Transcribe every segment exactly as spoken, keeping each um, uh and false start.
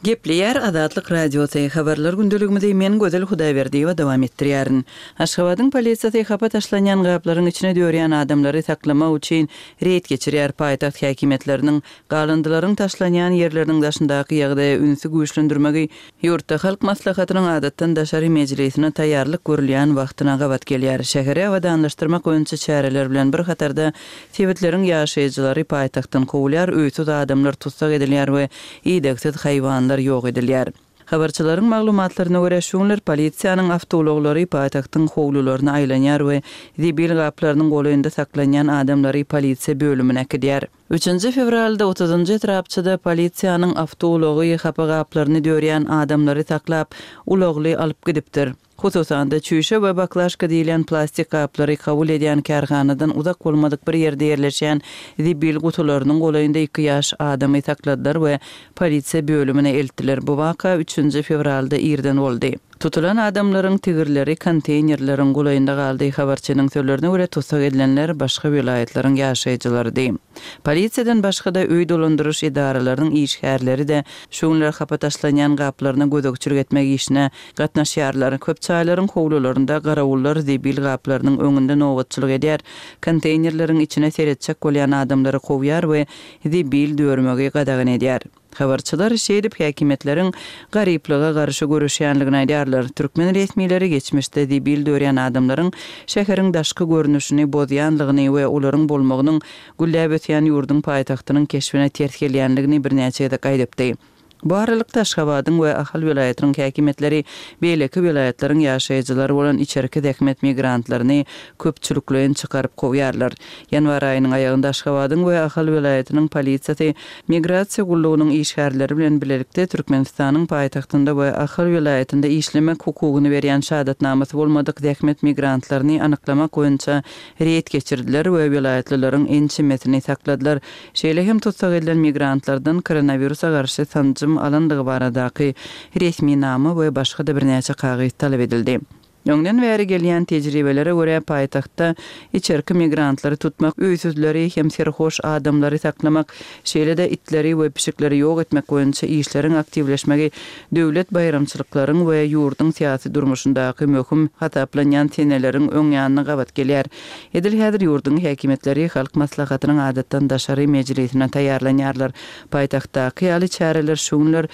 Gepleýär Azatlyk Radiosy, Habarlar gündeligimizi men Gözel Hudaýberdiýewa dowam etdirýärin. Aşgabadyň polisiýasy hapa taşlanýan gaplaryň içine dörýän adamlary saklamak üçin reýd geçirýär. Paýtagt häkimiýetleriniň galyndylaryň taşlanýan ýerleriniň daşyndaky ýagdaýa ünsi güýçlendirmegi ýurtda Halk Maslahatynyň adatdan daşary mejlisine taýýarlyk görülýän wagtyna gabat gelýär. Şäheri abadanlaşdyrmak boýunça çäreler bilen bir hatarda sebitleriň ýaşaýjylary paýtagtdan kowulýar, öýsüz adamlar tussag edilýär we idegsiz haýwanlar ýok edilýär. Habarçylaryň maglumatlaryna görä, şu günler polisiýanyň awtoulaglary paýtagtyň howlularyna aýlanýar we zibil gaplarynyň golaýynda saklanýan adamlary polisiýa bölümine äkidýär. Üçünji fewralda otuzynjy etrapçada polisiýanyň awtoulagy hapa gaplaryny dörýän adamlary saklap, ulagly alyp gidipdir. Hususan-da, çüýşe we baklaşka diýilýän plastik gaplary kabul edýän kärhanadan uzak bolmadyk bir ýerde ýerleşýän zibil gutularynyň golaýynda iki ýaş adamy sakladylar we polisiýa bölümine eltdiler. Bu waka üçünji fewralda irden boldy. Tutulan adamlaryň tigirleri konteýnerleriň golaýynda galdy. Habarçynyň sözlerine görä, tussag edilenler başga welaýatlaryň ýaşaýjylarydy. Polisiýadan başga-da öý dolandyryş edaralarynyň işgärleri-de şu günler hapa taşlanýan gaplaryna gözegçilik etmek işine gatnaşýarlar. Köp jaýlaryň howlularynda garawullar zibil gaplarynyň öňünde nobatçylyk edýär, konteýnerleriň içine seretjek bolýan adamlary kowýar we zibil dörmegi gadagan edýär. Habarçylar şeýdip häkimiýetleriň garyplyga garşy göreşýänligini aýdýarlar. Türkmen resmileri geçmişde zibil dörýän adamlaryň şäheriň daşky görnüşini bozýanlygyny we olaryň bolmagynyň gülläp ösýän ýurduň paýtagtynyň keşbine ters gelýänligini birnäçe gezek aýdypdy. Bu aralykda, Aşgabadyň we Ahal welaýatynyň häkimiýetleri beýleki welaýatlaryň ýaşaýjylary bolan içerki zähmet migrantlaryny köpçülikleýin çykaryp kowýarlar. Ýanwar aýynyň aýagynda Aşgabadyň we Ahal welaýatynyň polisiýasy Migrasiýa gullugynyň işgärleri bilen bilelikde Türkmenistanyň paýtagtynda we Ahal welaýatynda işlemek hukugyny berýän şahadatnamasy bolmadyk zähmet migrantlaryny anyklamak boýunça reýd geçirdiler we welaýatlylaryň ençemesini sakladylar. Şeýle hem tussag edilen migrantlardan koronawirusa garşy sanjym alandygy baradaky resminama we başga-da birnäçe kagyz talap edildi. Öňden bäri gelýän tejribelere görä, paýtagtda içerki migrantlary tutmak, öýsüzleri hem serhoş adamlary saklamak, şeýle-de itleri we pişikleri ýok etmek boýunça işleriň aktiwleşmegi döwlet baýramçylyklaryň we ýurduň syýasy durmuşyndaky möhüm hasaplanýan seneleriň öň ýanyna gabat gelýär. Edil häzir ýurduň häkimiýetleri Halk Maslahatynyň adatdan daşary mejlisine taýýarlanýarlar. Paýtagtdaky ýaly çäreler şu günler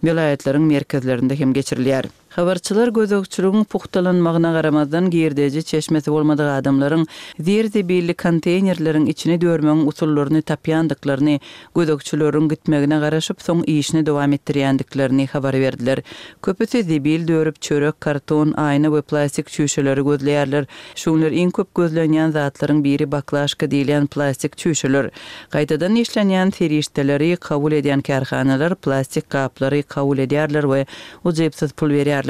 welaýatlaryň merkezlerinde hem geçirilýär. Habarçylar gözegçiligiň pugtalanmagyna garamazdan, girdeji çeşmesi bolmadyk adamlaryň zir-zibilli konteýnerleriň içini dörmegiň usullaryny tapýandyklaryny, gözegçileriň gitmegine garaşyp, soň işini dowam etdirýändiklerini habar berdiler. Köpüsi zibil dörüp, çörek, karton, aýna we plastik çüýşeleri gözleýärler. Şu günler iň köp gözlenýän zatlaryň biri baklaşka diýilýän plastik çüýşeler. Gaýtadan işlenýän serişdeleri kabul edýän kärhanalar plastik gaplary kabul edýärler we ujypsyz pul berýärler.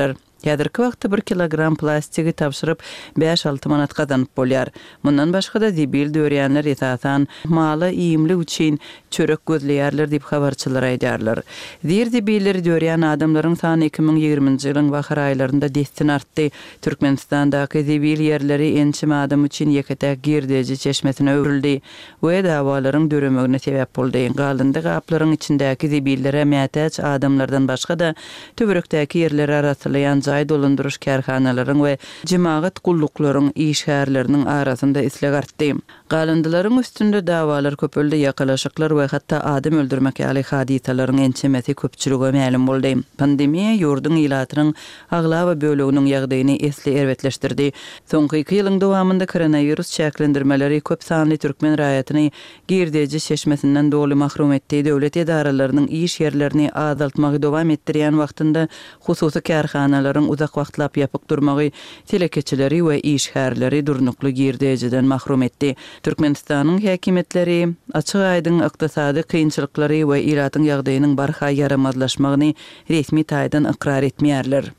Häzirki wagtda bir kilogram plastigi tabşyryp, bäş-alty manat gazanyp bolýar. Mundan başga-da, zibil dörýänler, esasan, mala iýmlik üçin çörek gözleýärler diýip, habarçylar aýdýarlar. Zir-zibilleri dörýän adamlaryň sany iki müň ýigriminji ýylyň bahar aýlarynda dessin artdy. Türkmenistandaky zibil ýerleri ençeme adam üçin ýeke-täk girdeji çeşmesine öwrüldi we dawalaryň döremegine sebäp boldy. Galyndy gaplaryň içindäki zibillere mätäç adamlardan başga-da, töwerekdäki ýerleri arassalaýan jaý dolandyryş kärhanalaryň we jemagat gulluklaryň işgärleriniň arasynda isleg artdy. Galyndylaryň üstünde dawalar köpeldi, ýakalaşyklar we hatda adam öldürmek ýaly hadysalaryň ençemesi köpçülige mälim boldy. Pandemiýa ýurduň ilatynyň aglaba böleginiň ýagdaýyny esli erbetleşdirdi. Soňky iki ýylyň dowamynda koronawirus çäklendirmeleri köp sanly türkmen raýatyny girdeji çeşmesinden doly mahrum etdi. Döwlet edaralarynyň iş ýerlerini azaltmagy dowam etdirýän wagtynda hususy kärhanalaryň uzak wagtlap ýapyk durmagy telekeçileri we işgärleri durnukly girdejiden mahrum etdi. Türkmenistanyň häkimiýetleri açyk-aýdyň ykdysady kynçylyklary we ilatyň ýagdaýynyň barha ýaramazlaşmagyny resmi taýdan ykrar etmeýärler.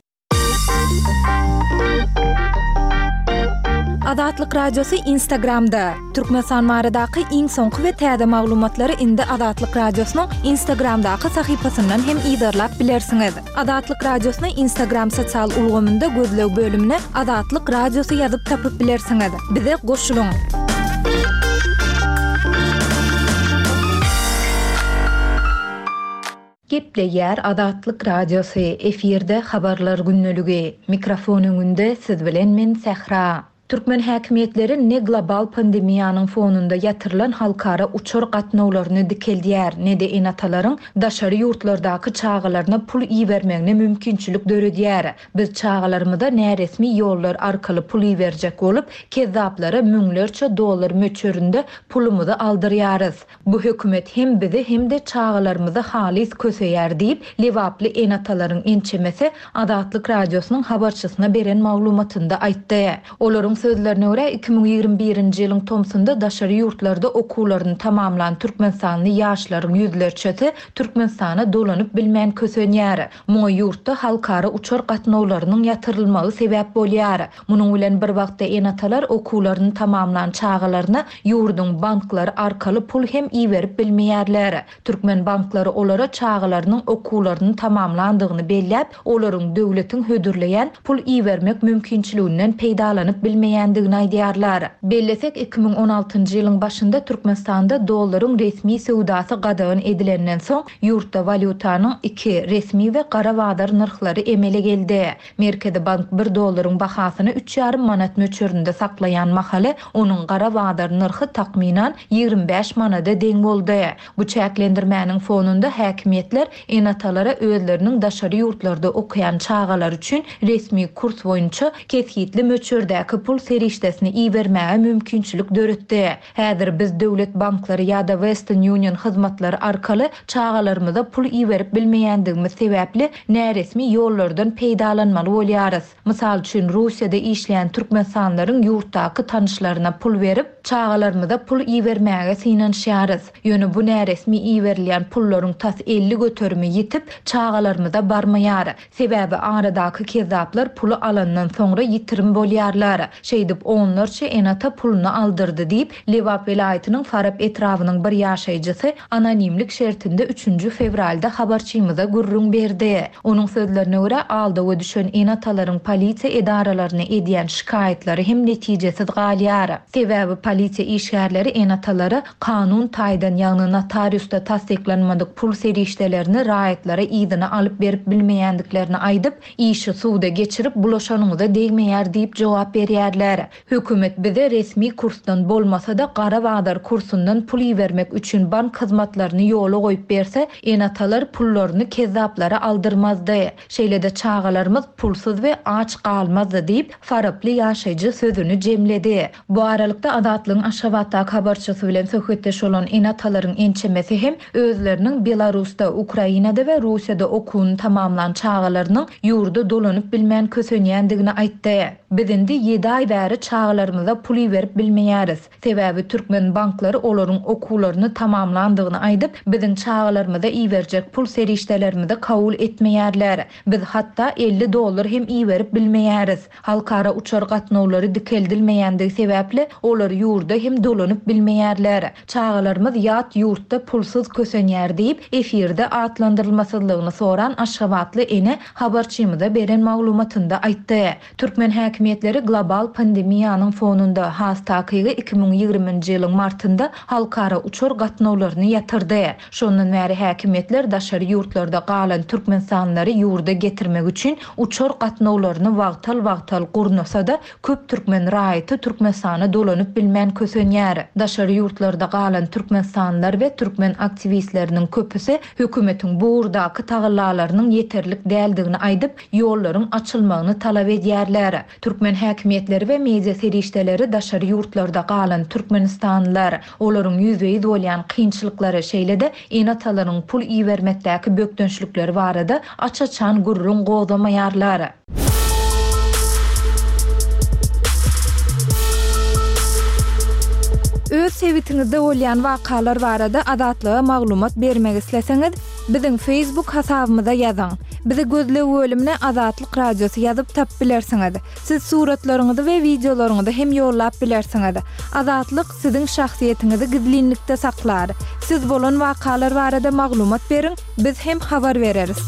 Azatlyk Radiosy Instagramda! Türkmenistan baradaky iň soňky we täze maglumatlary indi Azatlyk Radiosynyň Instagramdaky sahypasyndan hem yzarlap bilersiňiz. Azatlyk Radiosyny Instagram sosial ulgamynda gözleg bölümine Azatlyk Radiosy ýazyp tapyp bilersiňiz. Bize goşulyň! Gepleýär Azatlyk Radiosy, efirde Habarlar gündeligi. Mikrofon öňünde siz bilen men Sähra. Türkmen häkimiýetleri ne global pandemiýanyň fonunda ýatyrylan halkara uçar gatnawlaryny dikeldýär, ne-de ene-atalaryň daşary ýurtlardaky çagalaryna pul ibermegine mümkinçilik döredýär. Biz çagalarymyza näresmi ýollar arkaly pul iberjek bolup, kezzaplara müňlerçe dollar möçberinde pulumyzy aldyrýarys. Bu hökümet hem bizi hem-de çagalarymyzy halys köseýär diýip, lebaply ene-atalaryň ençemesi Azatlyk Radiosynyň habarçysyna beren maglumatynda aýtdy. Olaryň sözlerine görä, iki müň ýigrimi birinji ýylyň tomsunda daşary ýurtlarda okuwlaryny tamamlan türkmenistanly ýaşlaryň ýüzlerçesi Türkmenistana dolanyp bilmän kösenýär. Muňa ýurtda halkara uçar gatnawlarynyň ýatyrylmagy sebäp bolýar. Munuň bilen bir wagtda ene-atalar okuwlaryny tamamlan çagalaryna ýurduň banklary arkaly pul hem iberip bilmeýärler. Türkmen banklary olara çagalarynyň okuwlaryny tamamlandygyny belläp, olaryň döwletiň hödürleýän pul ibermek mümkinçiliginden peýdalanyp bilmeýändigini aýdýarlar. Bellesek, iki müň on altynjy ýylyň başynda Türkmenistanda dollaryň resmi söwdasy gadagan edilenden soň, ýurtda walýutanyň iki resmi we gara bazar nyrhlary emele geldi. Merkezi bank bir dollaryň bahasyny üç ýarym manat möçberinde saklaýan mahaly, onuň gara bazar nyrhy takmynan ýigrimi bäş manada deň boldy. Bu çäklendirmäniň fonunda häkimiýetler ene-atalara özleriniň daşary ýurtlarda okaýan çagalar üçin resmi kurs boýunça kesgitli möçberdäki pul serişdesini ibermäge mümkinçilik döretdi. Häzir biz döwlet banklary ýa-da Western Union hyzmatlary arkaly çagalarymyza pul iberip bilmeýändigimiz sebäpli näresmi ýollardan peýdalanmaly bolýarys. Mysal üçin, Russiýada işleýän türkmenistanlaryň ýurtdaky tanyşlaryna pul berip, çagalarymyza pul ibermäge synanyşýarys. Ýöne bu näresmi iberilýän pullaryň tas elli göterimi ýitip, çagalarymyza barmaýar. Sebäbi aradaky kezzaplar puly alandan soňra ýitirim bolýarlar. Şeýdip onlarça ene-ata puluny aldyrdy diýip, Lebap welaýatynyň Farap etrabynyň bir ýaşaýjysy anonimlik şertinde üçünji fewralda habarçymyza gürrüň berdi. Onuň sözlerine görä, aldawa düşen ene-atalaryň polisiýa edaralaryna edýän şikaýatlary hem netijesiz galýar. Sebäbi polisiýa işgärleri ene-atalara kanun taýdan, ýagny notariusda tassyklanmadyk pul serişdelerini raýatlara yzyna alyp berip bilmeýändiklerini aýdyp, işi suwda geçirip bulaşanyňyza degmeýär diýip jogap berýärler. Hökümet bize resmi kursdan bolmasa-da gara bazar kursundan pul ibermek üçin bank hyzmatlaryny ýola goýup berse, ene-atalar pullaryny kezzaplara aldyrmazdy. Şeýle-de çagalarymyz pulsuz we aç galmazdy diýip, Faraply ýaşaýjy sözüni jemledi. Bu aralykda Azatlygyň Aşgabatdaky habarçysy bilen söhbetdeş bolan ene-atalaryň ençemesi hem özleriniň Belarusda, Ukrainada we Russiýada okuwyny tamamlan çagalarynyň ýurda dolanyp bilmän kösenýändigini aýtdy. Biz indi ýedi aý bäri çagalarymyza pul iberip bilmeýäris. Sebäbi türkmen banklary olaryň okuwlaryny tamamlandygyny aýdyp, biziň çagalarymyza iberjek pul serişdelerimizi kabul etmeýärler. Biz hatda elli dollar hem iberip bilmeýäris. Halkara uçar gatnawlary dikeldilmeýändigi sebäpli olar ýurda hem dolanyp bilmeýärler. Çagalarymyz ýat ýurtda pulsuz kösenýär diýip, efirde atlandyrylmasyzlygyny soran Aşgabatly ene habarçymyza beren maglumatynda aýtdy. Türkmen häkimiýetleri global pandemiýanyň fonunda has takygy iki müň ýigriminji ýylyň martynda halkara uçar gatnawlaryny ýatyrdy. Şondan bäri häkimiýetler daşary ýurtlarda galan türkmenistanlylary ýurda getirmek üçin uçar gatnawlaryny wagtal-wagtal gurnasa-da, köp türkmen raýaty Türkmenistana dolanyp bilmän kösenýär. Daşary ýurtlarda galan türkmenistanlylar we türkmen aktiwistleriniň köpüsi hökümetiň bu ugurdaky tagallalarynyň ýeterlik däldigini aýdyp, ýollaryň açylmagyny talap edýärler. Türkmen häkimiýetleri we media serişdeleri daşary ýurtlarda galan türkmenistanlylar, olaryň ýüzbe-ýüz bolýan kynçylyklary, şeýle-de ene-atalaryň pul ibermekdäki bökdençlikleri barada aç-açan gürrüň gozamaýarlar. Öz sebitiňizde bolýan wakalar barada Azatlyga maglumat bermek isleseňiz, biziň Facebook hasabymyza ýazyň. Bizi gözleg bölümine Azatlyk Radiosy ýazyp tap bilersiňiz. Siz suratlaryňyzy we wideolaryňyzy hem ýollap bilersiňiz. Azatlyk siziň şahsyýetiňizi gizlinlikde saklar. Siz bolan wakalar barada maglumat beriň, biz hem habar bereris.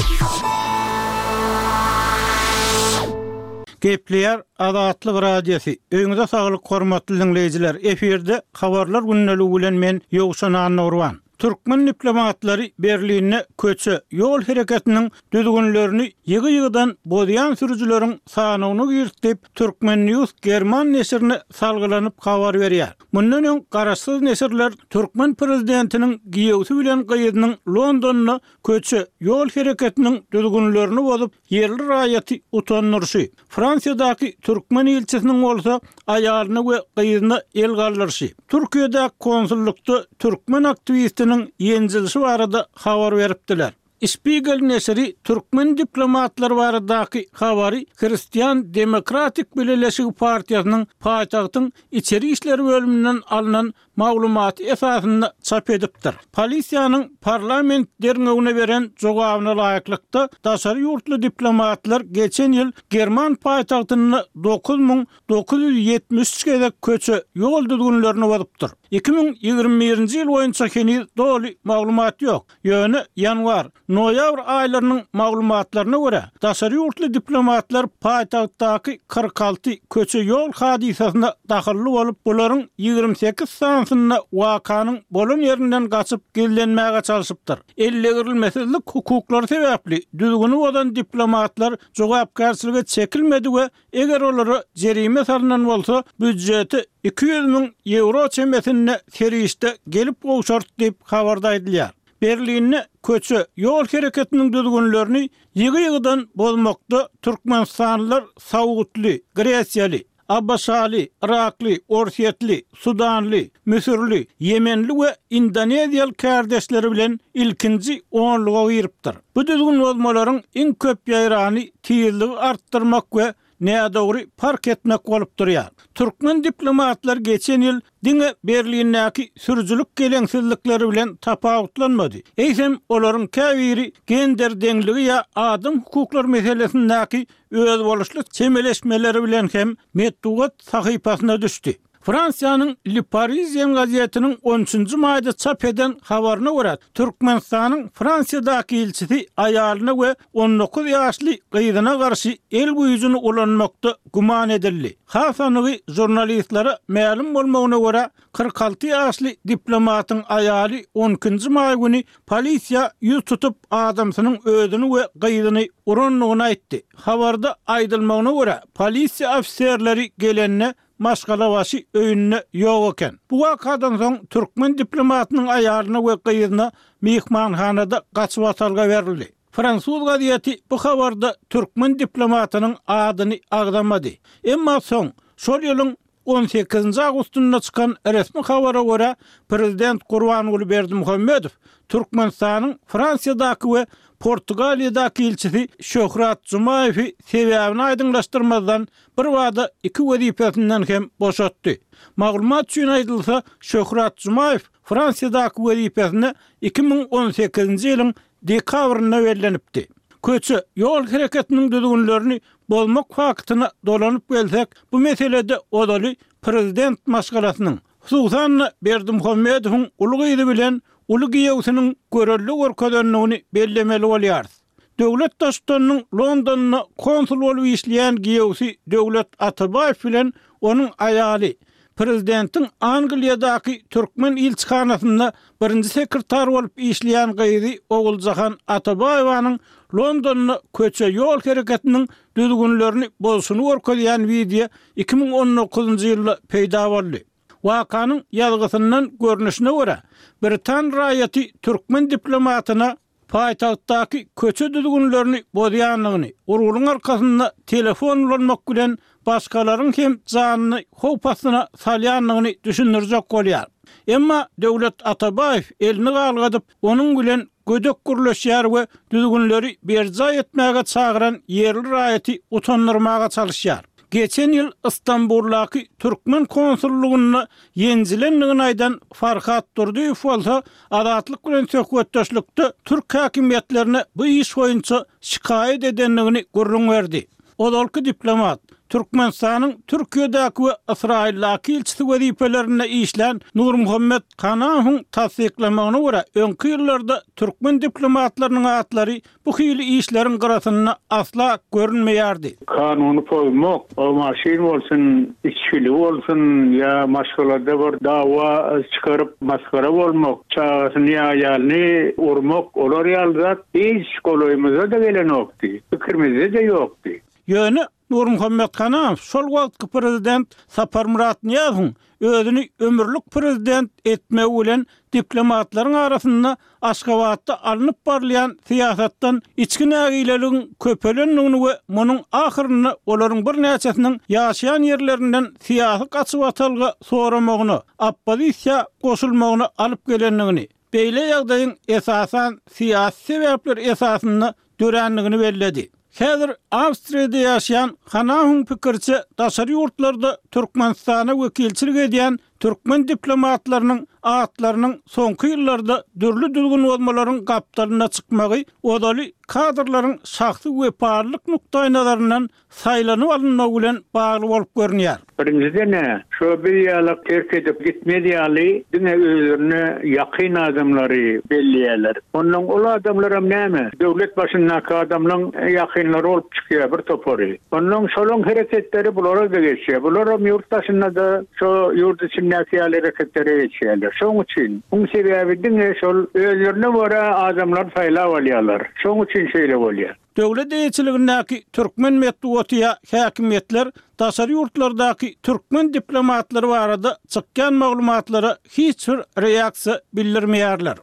Gepleýär Azatlyk Radiosy. Öýüňize saglyk hormatly dinleýjiler. Efirde habarlar gündeligi bilen men Ýowşan Annurwan. Türkmen diplomatlary Berlinde köçe, ýol hereketiniň düzgünlerini ýygy-ýygydan bozýan sürüjileriň sanawyna girdi diýip, Turkmen News german neşirine salgylanyp habar berýär. Mundan öň garaşsyz neşirler türkmen prezidentiniň giýewsi bilen gyzynyň Londonda köçe, ýol hereketiniň düzgünlerini bozup, ýerli raýaty utandyryşy, Fransiýadaky türkmen ilçisiniň bolsa aýalyna we gyzyna el galdyryşy, Türkiýedäki konsullukda türkmen aktiwistiniň ýenjilişi barada habar beripdiler. Spiegel neşiri türkmen diplomatlary baradaky habary Hristian Demokratik Bileleşigi partiýasynyň paýtagtyň içeri işler bölüminden alnan maglumaty esasynda çap edipdir. Polisiýanyň parlament derňewine beren jogabyna laýyklykda, daşary ýurtly diplomatlar geçen ýyl german paýtagtynda dokuz müň dokuz ýüz ýetmiş üç gezek köçe, ýol düzgünlerini bozupdyr. Iki müň ýigrimi birinji ýyl boýunça heniz doly maglumat ýok. Ýöne ýanwar, noýabr aýlarynyň maglumatlaryna görä, daşary ýurtly diplomatlar paýtagtdaky kyrk alty köçe ýol hadysasyna dahylly bolup, bularyň ýigrimi sekiz sanysynda wakanyň bolan ýerinden gaçyp gizlenmäge çalşypdyr. Ellegirilmesizlik hukuklary sebäpli düzgüni bozan diplomatlar jogapkärçilige çekilmedi we eger olara jerime salynan bolsa, býudjete iki ýüz müň ýewro çemesinde serişde gelip gowşart diýip habarda aýdylýar. Berlinde köçe, ýol hereketiniň düzgünlerini ýygy-ýygydan bozmakda türkmenistanlylar Saudly, Gresiýaly, ABŞ-ly, Irakly, Orsýetli, Sudanly, Müsürli, Ýemenli we Indoneziýaly kärdeşleri bilen ilkinji onluga giripdir. Bu düzgün bozmalaryň iň köp ýaýrany tizligi artdyrmak we nädogry park etmek bolup durýar. Türkmen diplomatlar geçen ýyl diňe Berlindäki sürüjilik geleňsizlikleri bilen tapawutlanmady. Eýsem, olaryň käbiri gender deňligi ýa adam hukuklary meselesindäki özboluşly çemeleşmeleri bilen hem metbugat sahypasyna düşdi. Fransiýanyň Le Parisien gazetiniň on üçünji maýda çap eden habaryna görä, Türkmenistanyň Fransiýadaky ilçisi aýalyna we on dokuz ýaşly gyzyna garşy el güýjüni ulanmakda güman edildi. Has anygy žurnalistlere mälim bolmagyna görä, kyrk alty ýaşly diplomatyň aýaly on ikinji maý güni polisiýa ýüz tutup adamsynyň özüni we gyzyny urandygyny aýtdy. Habarda aýdylmagyna görä, polisiýa ofiserleri gelende maşgalabaşy öýünde ýok eken. Bu wakadan soň türkmen diplomatynyň aýalyna we gyzyna myhmanhanada gaçyp atalga berildi. Fransuz gazeti bu habarda türkmen diplomatynyň adyny agzamady. Emma soň şol ýylyň on sekizinji awgustynda çykan resmi habara görä, prezident Gurbanguly Berdimuhamedow Türkmenistanyň Fransiýadaky we Portugaliýadaky ilçisi Şöhrat Jumaýewi sebäbini aýdyňlaşdyrmazdan bir bada iki wezipesinden hem boşatdy. Maglumat üçin aýdylsa, Şöhrat Jumaýew Fransiýadaky wezipesine iki müň on sekizinji ýylyň dekabrynda bellenipdi. Köçe, ýol hereketiniň düzgünlerini bozmak faktyna dolanyp gelsek, bu meselede ozaly prezident maşgalasynyň, hususan-da Berdimuhamedowyň uly gyzy bilen uly giýewsiniň görelde görkezendigini bellemeli bolýarys. Döwlet Baştutanynyň Londonda konsul bolup işleýän giýewsi Döwlet Atabaýew bilen onuň aýaly, prezidentiň Angliýadaky türkmen ilçihanasynda birinji sekretar bolup işleýän gyzy Oguljahan Atabaýewanyň Londonda köçe ýol hereketiniň düzgünlerini bozuşyny görkezýän wideo iki müň on dokuzynjy ýylda peýda boldy. Wakanyň ýazgysyndan görnüşine görä, Britan raýaty türkmen diplomatyna paýtagtdaky köçe düzgünlerini bozýandygyny, urulyň arkasynda telefon ulanmak bilen başgalaryň hem janyny howp astyna salýandygyny düşündirjek bolýar. Emma Döwlet Atabaýew elini galgadyp, onuň bilen gödek gürleşýär we düzgünleri berjaý etmäge çagyran ýerli raýaty utandyrmaga çalyşýar. Geçen ýyl Istanbuldaky türkmen konsullugynda ýenjilendigini aýdan Farhat Durdyýew bolsa Azatlyk bilen söhbetdeşlikde türk häkimiýetlerine bu iş boýunça şikaýat edendigini gürrüň berdi. Ozalky diplomat, Türkmenistanyň Türkiýedäki we Ysraýyldaky ilçisi wezipelerinde işlän Nurmuhammet Hanamowyň tassyklamagyna görä, öňki ýyllarda türkmen diplomatlarynyň atlary bu hili işleriň gyrasynda asla görünmeýärdi. Kanuny pozmak, o maşyn bolsun, içgili bolsun ýa maşgalada bir dawa çykaryp masgara bolmak, çagasyny ýa aýalyny urmak, olar ýaly zat hiç golaýymyza-da gelenokdy, pikirimizde-de ýokdy. Ýöne Nurmuhammet Hanamow şol wagtky prezident Saparmyrat Nyýazowyň özüni ömürlik prezident etmegi bilen diplomatlaryň arasynda Aşgabatda alnyp barylýan syýasatdan içki nägileligiň köpelendigini we munuň ahyrynda olaryň birnäçesiniň ýaşaýan ýerlerinden syýasy gaçybatalga soramagyna, oppozisiýa goşulmagyna alyp gelendigini, beýle ýagdaýyň esasan syýasy sebäpler esasynda dörändigini belledi. Häzir Awstriýada ýaşaýan Hanamowyň pikiriçe, daşary ýurtlarda Türkmenistana wekilçilik edýän türkmen diplomatlarynyň atlarynyň soňky ýyllarda dürli düzgün bozmalaryň gapdalynda çykmagy ozaly kadrlaryň şahsy wepalylyk nukdaýnazaryndan saýlanyp alynmagy bilen bagly bolup görünýär. Birinjiden-ä, şo biz ýaly terk edip gitmez ýaly diňe özlerine ýakyn adamlary belleýärler. Ondan ol adamlaram näme? Döwlet başyndaky adamlaryň ýakynlary bolup çykýar bir topary. Ondan şolaryň hereketleri bulara-da geçýär. Bularam ýurt daşynda-da şo ýurt içindäki ýaly hereketlere geçýärler. Şonuň üçin muň sebäbi diňe şol özlerine görä adamlary saýlap alýarlar. Şonuň üçin şeýle bolýar. Döwlet eýeçiligindäki türkmen metbugaty ýa häkimiýetler daşary ýurtlardaky türkmen diplomatlary barada çykýan maglumatlara hiç bir reaksiýa bildirmeýärler.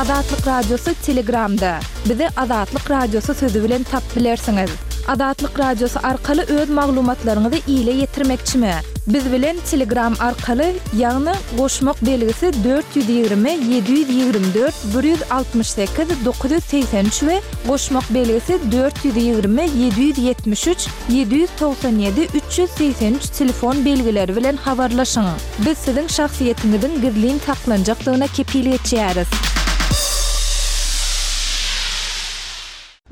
Azatlyk Radiosy Telegramda. Bizi Azatlyk Radiosy sözi bilen tapyp bilersiňiz. Azatlyk Radiosy arkaly öz maglumatlaryňyzy ile ýetirmekçimi? Biz bilen Telegram arkaly, ýagny goşmak belgisi dört ýüz ýigrimi ýedi ýüz ýigrimi dört bir ýüz altmyş sekiz dokuz ýüz segsen üç we goşmak belgisi dört ýüz ýigrimi ýedi ýüz ýetmiş üç ýedi ýüz togsan ýedi üç ýüz segsen üç telefon belgileri bilen habarlaşyň. Biz siziň şahsyýetiňiziň gizlin saklanjakdygyna kepil geçýäris.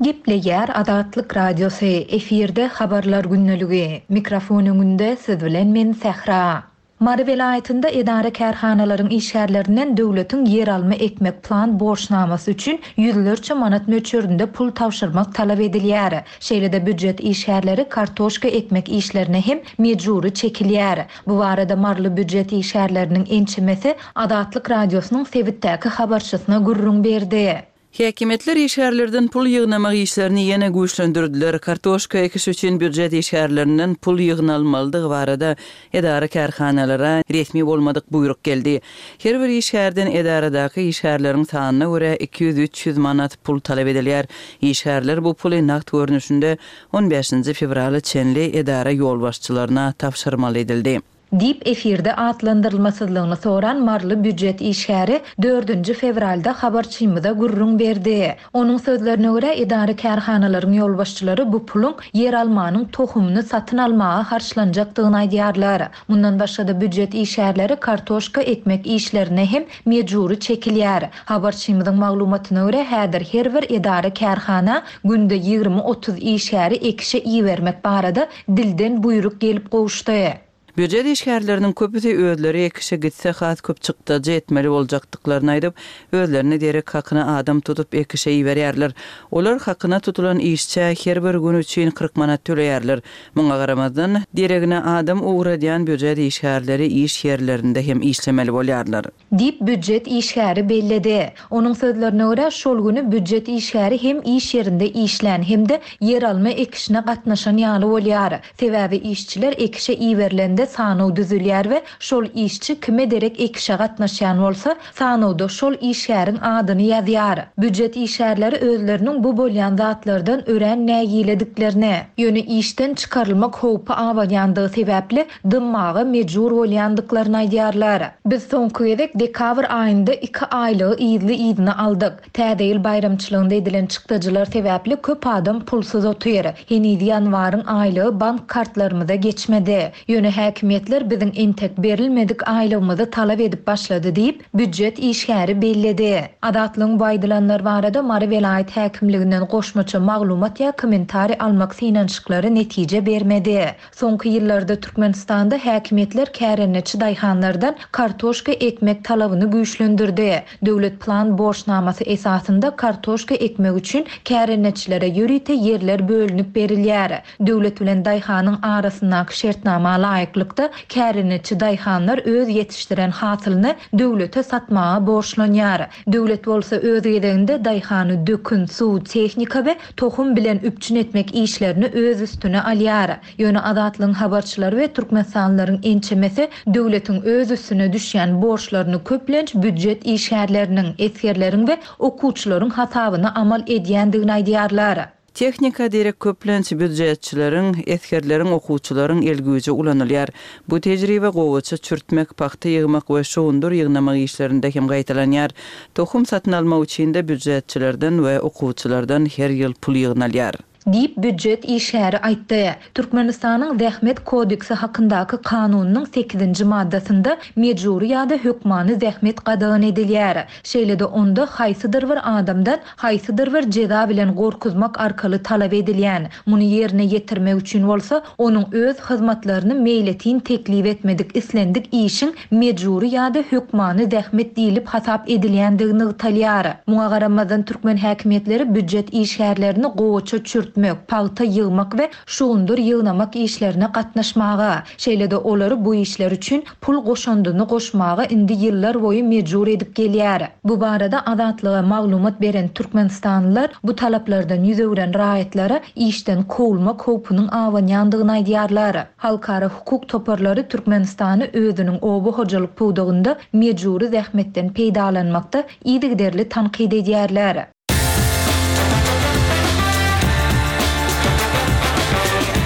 Gepleýär Azatlyk Radiosy, efirde Habarlar gündeligi. Mikrofon öňünde siz bilen men Sähra. Mary welaýatynda edara-kärhanalaryň işgärlerinden döwletiň ýeralma ekmek plan borçnamasy üçin ýüzlerçe manat möçberinde pul tabşyrmak talap edilýär. Şeýle-de býujet işgärleri kartoşka ekmek işlerine hem mejbury çekilýär. Bu barada maryly býujet işgärleriniň ençemesi Azatlyk Radiosynyň sebitdäki habarçysyna gürrüň berdi. Häkimiýetler işgärlerden pul ýygnamak işlerini ýene güýçlendirdiler. Kartoşka ekiş üçin býujet işgärlerinden pul ýygnalmalydygy barada edara-kärhanalara resmi bolmadyk buýruk geldi. Her bir işgärden edaradaky işgärleriň sanyna görä iki ýüz-üç ýüz manat pul talap edilýär. Işgärler bu puly nagt görnüşinde on bäşinji fewrala çenli edara ýolbaşçylaryna tabşyrmaly edildi. Diýip, efirde atlandyrylmasyzlygyny soran maryly býujet işgäri dördünji fewralda habarçymyza gürrüň berdi. Onuň sözlerine görä, edara-kärhanalaryň ýolbaşçylary bu puluň ýeralmanyň tohumyny satyn almaga harçlanjakdygyny aýdýarlar. Mundan başga-da býujet işgärleri kartoşka ekmek işlerine hem mejbury çekilýär. Habarçymyzyň maglumatyna görä, häzir her bir edara-kärhana günde ýigrimi-otuz işgäri ekişe ibermek barada dilden buýruk gelip gowuşdy. Býujet işgärleriniň köpüsi özleri ekişe gitse has köp çykdajy etmeli boljakdyklaryny aýdyp, özlerine derek hakyna adam tutup ekişe iberýärler. Olar hakyna tutulan işçä her bir gün üçin kyrk manat töleýärler. Muňa garamazdan, deregine adam ugradýan býujet işgärleri iş ýerlerinde hem işlemeli bolýarlar. Diýip, býujet işgäri belledi. Onuň sözlerine görä, şol güni býujet işgäri hem iş ýerinde işlän hem-de ýeralma ekişine gatnaşan ýaly bolýar. Sebäbi işçiler ekişe iberilende sanaw düzülýär we şol işçi kime derek ekişe gatnaşýan bolsa, sanawda şol işgäriň adyny ýazýar. Býujet işgärleri özleriniň bu bolýan zatlardan örän nägilediklerini, ýöne işden çykarylmak howpy abanýandygy sebäpli dymmaga mejbur bolýandyklaryny aýdýarlar. Biz soňky gezek dekabr aýynda iki aýlygy yzly-yzyna aldyk. Täze ýyl baýramçylygynda edilen çykdajylar sebäpli köp adam pulsuz otyr. Heniz ýanwaryň aýlygy bank kartlarymyza geçmedi. Ýöne Häkimiýetler biziň entek berilmedik aýlygymyzy talap edip başlady diýip, býujet işgäri belledi. Azatlygyň bu aýdylanlar barada Mary welaýat häkimliginden goşmaça maglumat ýa kommentariý almak synanyşyklary netije bermedi. Soňky ýyllarda Türkmenistanda häkimiýetler kärendeçi daýhanlardan kartoşka ekmek talabyny güýçlendirdi. Döwlet plan borçnamasy esasynda kartoşka ekmek üçin kärendeçilere ýörite ýerler bölünip berilýär. Döwlet bilen daýhanyň arasyndaky şertnama laýyklykda kärendeçi daýhanlar öz ýetişdiren hasylyny döwlete satmaga borçlanýar. Döwlet bolsa öz gezeginde daýhany dökün, suw, tehnika we tohum bilen üpjün etmek işlerini öz üstüne alýar. Ýöne Azatlygyň habarçylary we türkmenistanlylaryň ençemesi döwletiň öz üstüne düşýän borçlaryny köplenç býujet işgärleriniň, esgerleriň we okuwçylaryň hasabyna amal edýändigini aýdýarlar. Tehnika derek köplenç býujetçileriň, esgerleriň, okuwçylaryň el güýji ulanylýar. Bu tejribe gowaça çürtmek, pagta ýygmak we şugundyr ýygnamak işlerinde hem gaýtalanýar. Tohum satyn almak üçin-de býujetçilerden we okuwçylardan her ýyl pul ýygnalýar. Diýip, býujet işgäri aýtdy. Türkmenistanyň Zähmet kodeksi hakyndaky kanunynyň sekizinji maddasynda mejbury ýa-da hökmany zähmet gadagan edilýär. Şeýle-de onda haýsydyr bir adamdan haýsydyr bir jeza bilen gorkuzmak arkaly talap edilýän, muny ýerine ýetirmek üçin bolsa onuň öz hyzmatlaryny meýletin teklip etmedik islendik işiň mejbury ýa-da hökmany zähmet diýlip hasap edilýändigi nygtalýar. Muňa garamazdan türkmen häkimiýetleri býujet işgärlerini gowaça çürtmek, pagta ýygmak we şugundyr ýygnamak işlerine gatnaşmaga, şeýle-de olary bu işler üçin pul goşandyny goşmaga indi ýyllar boýy mejbur edip gelýär. Bu barada Azatlyga maglumat beren türkmenistanlylar bu talaplardan ýüz öwren raýatlara işden kowulmak howpunyň abanýandygyny aýdýarlar. Halkara hukuk toparlary Türkmenistany özüniň oba hojalyk pudagynda mejbury zähmetden peýdalanmakda yzygiderli tankyt edýärler.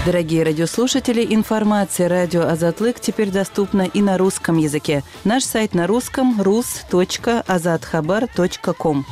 Дорогие радиослушатели, информация радио Азатлык теперь доступна и на русском языке. Наш сайт на русском rus точка azathabar точка ком.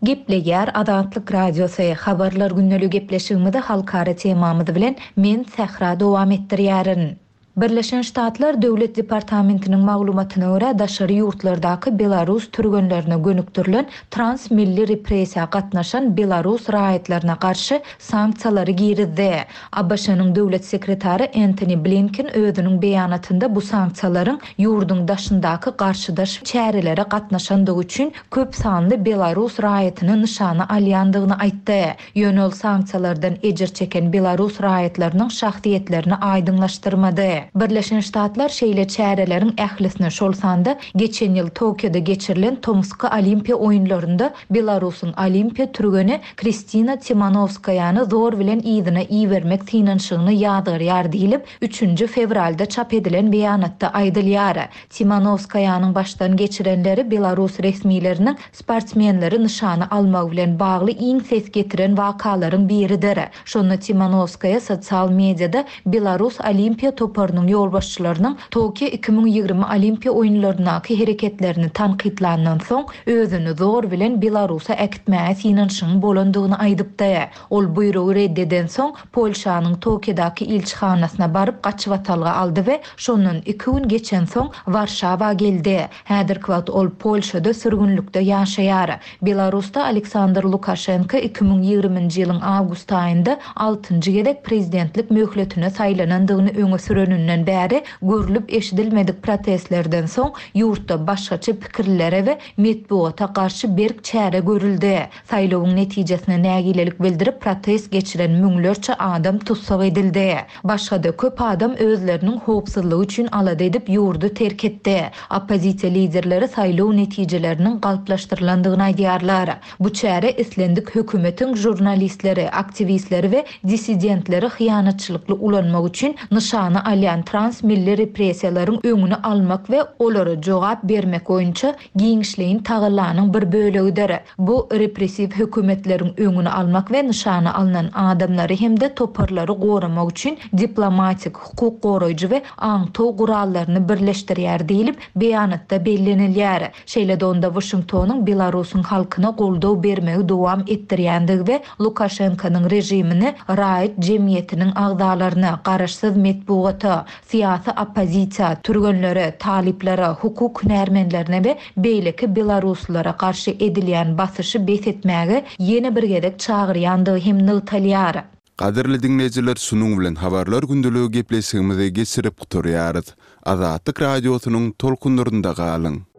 Gepleýär Azatlyk Radiosy. Habarlar gündelik gepleşigimizi halkara temamyz bilen men Sähra dowam etdirýärin. Birleşen Ştatlar Döwlet Departamentiniň maglumatyna görä daşary ýurtlardaky Belarus türgenlerine gönükdirilen transmilli repressiýa gatnaşan Belarus raýatlaryna garşy sanksiýalary girizdi. A B Ş-nyň döwlet sekretary Antony Blinken özüniň beýanatynda bu sanksiýalaryň ýurduň daşyndaky garşydaş çärelere gatnaşandygy üçin köp sanly Belarus raýatyny nyşana alýandygyny aýtdy. Ýöne ol sanksiýalardan ejir çeken Belarus raýatlarynyň şahsyýetlerini aýdyňlaşdyrmady. Birleşen Ştatlar şeýle çäreleriň ählisini şol sanda geçen ýyl Tokioda geçirilen Tomski Olimpiýa oýunlarynda Belarusyň Olimpiýa türgeni Kristina Timanowskaýany zor bilen yzyna ibermek synanyşygyny ýazgarýar diýlip, üçünji fewralda çap edilen beýanatda aýdylýar. Timanowskaýanyň başdan geçirenleri Belarus resmileriniň sportsmenleri nyşana almagy bilen bagly iň ses getiren wakalaryň biridir. Şonda Timanowskaýa sosial mediada Belarus Olimpiýa toparynyň ýolbaşçylarynyň Tokio iki müň ýigrimi Olimpiýa oýunlaryndaky hereketlerini tankytlandan soň özüni zor bilen Belarusa äkitmäge synanyşygyň bolandygyny aýdypdy. Ol buýrugy reddeden soň Polşanyň Tokiodaky ilçihanasyna baryp gaçybatalga aldy we şondan iki gün geçen soň Warşawa geldi. Häzirki wagt ol Polşada sürgünlikde ýaşaýar. Belarusda Aleksandr Lukaşenko iki müň ýigriminji ýylyň awgust aýynda altynjy gezek prezidentlik möhletine saýlanandygyny öňe süreninden bäri görlüp eşidilmedik protestlerden soň ýurtda başgaça pikirlere we metbugata garşy berk çäre görüldi. Saýlawyň netijesine nägilelik bildirip protest geçiren müňlerçe adam tussag edildi. Başga-da köp adam özleriniň howpsuzlygy üçin alada edip ýurdy terk etdi. Oppozisiýa liderleri saýlaw netijeleriniň galplaşdyrylandygyny aýdýarlar. Bu çäre islendik hökümetiň jurnalistleri, aktiwistleri we dissidentleri hyýanatçylykly ulanmak üçin nyşana alýan edilýän transmilli repressiýalaryň öňüni almak we olara jogap bermek boýunça giňişleýin tagallanyň bir bölegidir. Bu, repressiw hökümetleriň öňüni almak we nyşana alnan adamlary hem-de toparlary goramak üçin diplomatik, hukuk goraýjy we aňtaw gurallaryny birleşdirýär diýlip, beýanatda bellenilýär. Şeýle-de onda Waşingtonyň Belarusyň halkyna goldaw bermegi dowam etdirýändigi we Lukaşenkonyň režimini raýat jemgyýetiniň agzalaryna, garaşsyz metbugata, syýasy oppozisiýa, türgenlere, talyplara, hukuk hünärmenlerine we beýleki belaruslylara garşy edilýän basyşy bes etmäge ýene bir gezek çagyrýandygy hem nygtalýar. Gadyrly diňleýjiler şunuň bilen Habarlar gündeligi gepleşigimizi geçirip gutarýarys. Azatlyk Radiosynyň tolkunlarynda galyň!